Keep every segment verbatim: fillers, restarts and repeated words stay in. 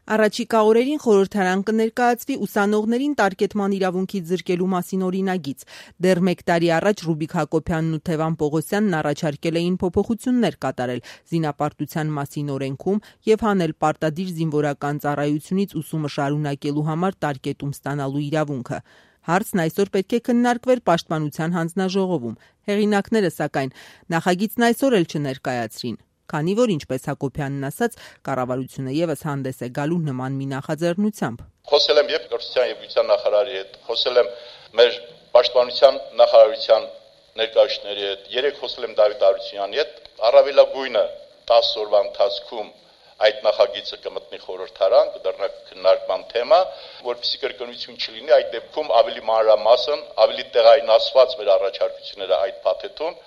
Առաջիկա օրերին խորհրդարան կներկայացվի ուսանողներին տարկետման իրավունքից զրկելու մասին օրինագիծ։ Դեռ մեկ տարի առաջ Ռուբիկ Հակոբյանն ու Թևան Պողոսյանն առաջարկել էին փոփոխություններ կատարել զինապարտության մասին օրենքում եւ հանել պարտադիր զինվորական ծառայությունից ուսումը շարունակելու համար տարկետում ստանալու իրավունքը։ Հարցն այսօր պետք է քննարկվեր Պաշտպանության հանձնաժողովում։ Հեղինակները, սակայն, նախագիծն այսօր էլ չներկայացրին, քանի որ, ինչպես Հակոբյանն ասաց, կառավարությունը եւս հանդես է գալու նման մի նախաձեռնությամբ։ Խոսել եմ եւ կրթության եւ գիտության նախարարի հետ, խոսել եմ մեր Պաշտպանության նախարարության ներկայացուցիչների հետ, երեք խոսել եմ Դավիթ Արությունյանի հետ, առավելագույնը տասը օրվա ընթացքում այդ նախագիծը կմտնի խորհրդարան, կդառնա քննարկման թեմա, որպեսզի կրկնություն չլինի, այդ դեպքում ավելի մանրամասն, ավելի տեղայնացված մեր առաջարկությունները այդ փաթեթում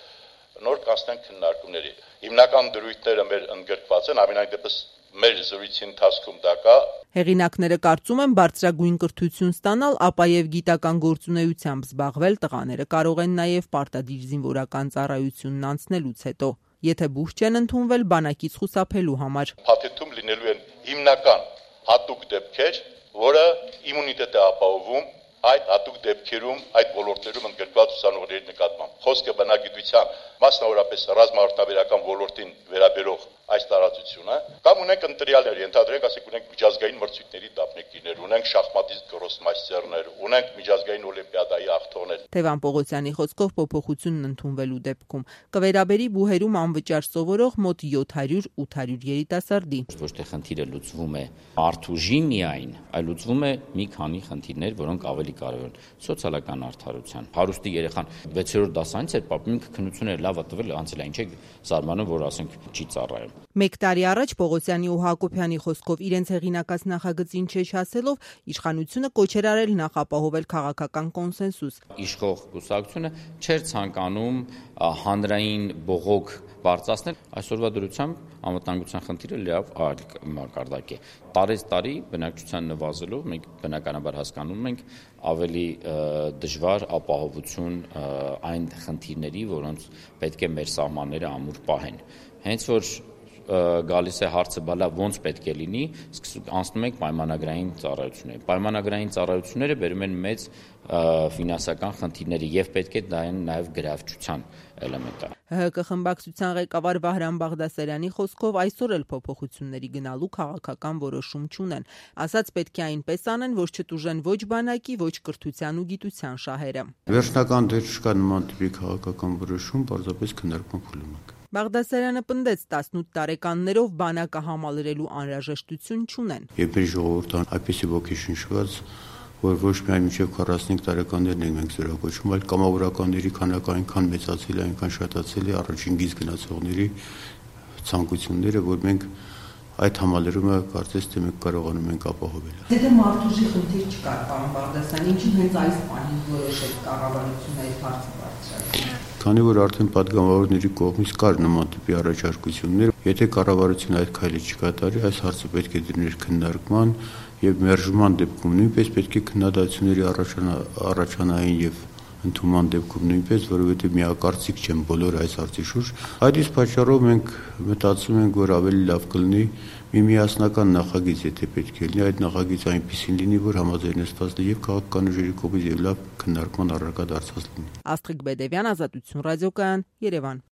նոր կանցնեն քննարկումների։ Հիմնական դրույթները մեր ընդգրկված են, ամենայն դեպս մեր զրույցի ընթացքում դա կա։ Հեղինակները կարծում են բարձրագույն կրթություն ստանալ, ապա եւ գիտական գործունեությամբ զբաղվել տղաները կարող են նաեւ պարտադիր զինվորական ծառայությունն անցնելուց հետո, եթե բուժ չեն ընդունվել բանակից խուսափելու համար։ Փաթեթում լինելու են հիմնական հատուկ դեպքեր, որը իմունիտետ է ապահովում այդ հատուկ դեպքերում, այդ ոլորտներում ընդգրկված ուսանողների նկատմամբ։ Խոսքը բնագիտության, մասնավորապես ռազմաարդյունաբերական ոլորտին վերաբերող այս տարածությունը, կամ ունենք ընտրյալներ, ենթադրենք, ասենք ունենք միջազգային մրցույթների դափնեկիրներ, ունենք շախմատիստ գրոսմայստերներ, ունենք միջազգային օլիմպիադայի աղթողներ։ Թևան Պողոսյանի խոսքով փոփոխությունն ընդունվելու դեպքում կվերաբերի բուհերում անվճար սովորող մոտ յոթ հարյուր ութ հարյուր երիտասարդի։ Ոչ թե խնդիրը լուծվում է արթուժի միայն, այլ լուծվում է մի քանի խնդիրներ, որոնք ավելի կարևոր են։ Սոցիալական արդարության։ Հարուստի երեխան վեցերորդ դասանից էր պապին քննությունները լավ տվել, անցել է, ինչ է զարմանում, որ ասենք չի ծառայում։ Մեկ տարի առաջ Պողոսյանի ու Հակոբյանի խոսքով իրենց հեղինակած նախագծին չեչ ասելով իշխանությունը կոչեր արել նախապահովել քաղաքական կոնսենսուս։ Իշխող կուսակցությունը չէր ցանկանում հանրային բողոք բարձրացնել, այսօրվա դրությամբ անվտանգության խնդիրը լավ այլ մակարդակ է։ Տարեց տարի բնակչության նվազելով մենք բնականաբար հասկանում ենք ավելի դժվար ապահովություն այն խնդիրների, որոնց պետք է մեր սահմանները ամուր պահեն։ Հենց որ գալիս է հարցը բալա ոնց պետք է լինի, անցնում ենք պայմանագրային ծառայությունների։ Պայմանագրային ծառայությունները բերում են մեծ ֆինանսական խնդիրների եւ պետք է դա են նաեւ գրավչության էլեմենտը։ ՀՀԿ խմբակցության ղեկավար Վահրամ Բաղդասարյանի խոսքով այսօր էլ փոփոխությունների գնալու քաղաքական որոշում չունեն։ Ասաց պետք է այնպես անեն, որ չտուժեն ոչ բանակի, ոչ կրթության ու գիտության շահերը։ Վերջնական դեր չկա նման տիպի քաղաքական որոշում, պարզապես քննարկման փուլում ենք։ Բաղդասարյանը պնդեց տասնութ տարեկաններով բանակը համալրելու անհրաժեշտություն չունեն։ Երբ ժողովուրդը այդպիսի ոգեշնչված, որ ոչ միայն մինչև քառասունհինգ տարեկաններն ենք մենք զորակոչում, այլ կամավորականների քանակը այնքան մեծացել է, այնքան շատացել է առաջին գիծ գնացողների ցանկությունները, որ մենք այդ համալրումը կարծես թե մենք կարողանում ենք ապահովել։ Եթե մարդուժի խնդիր չկար, պարոն Բաղդասարյան, ինչու հենց այս պահին որոշեց կառավարությունը այդ հարցը բարձրացնել։ Քանի որ արդեն պատգամավորների կողմից կար նման տիպի առաջարկություններ, եթե կառավարությունը այդ քայլը չկատարի, այս հարցը պետք է դրներ քննարկման եւ մերժման դեպքում նույնպես պետք է քննադատությունների առաջանային եւ ընդունման դեպքում նույնպես, որովհետեւ միակարծիք չեն բոլոր այս հարցի շուրջ։ Այդ իսկ պատճառով մենք մտածում ենք, որ ավելի լավ կլինի մի միասնական նախագիծ, եթե պետք է լինի, այդ նախագիծը այնպեսին լինի, որ համաձայնեցված լինի եւ քաղաքական ուժերի կողմից եւ լավ քննարկման առարկա դարձած լինի։ Աստղիկ Բեդևյան, Ազատություն ռադիոկայան, Երևան։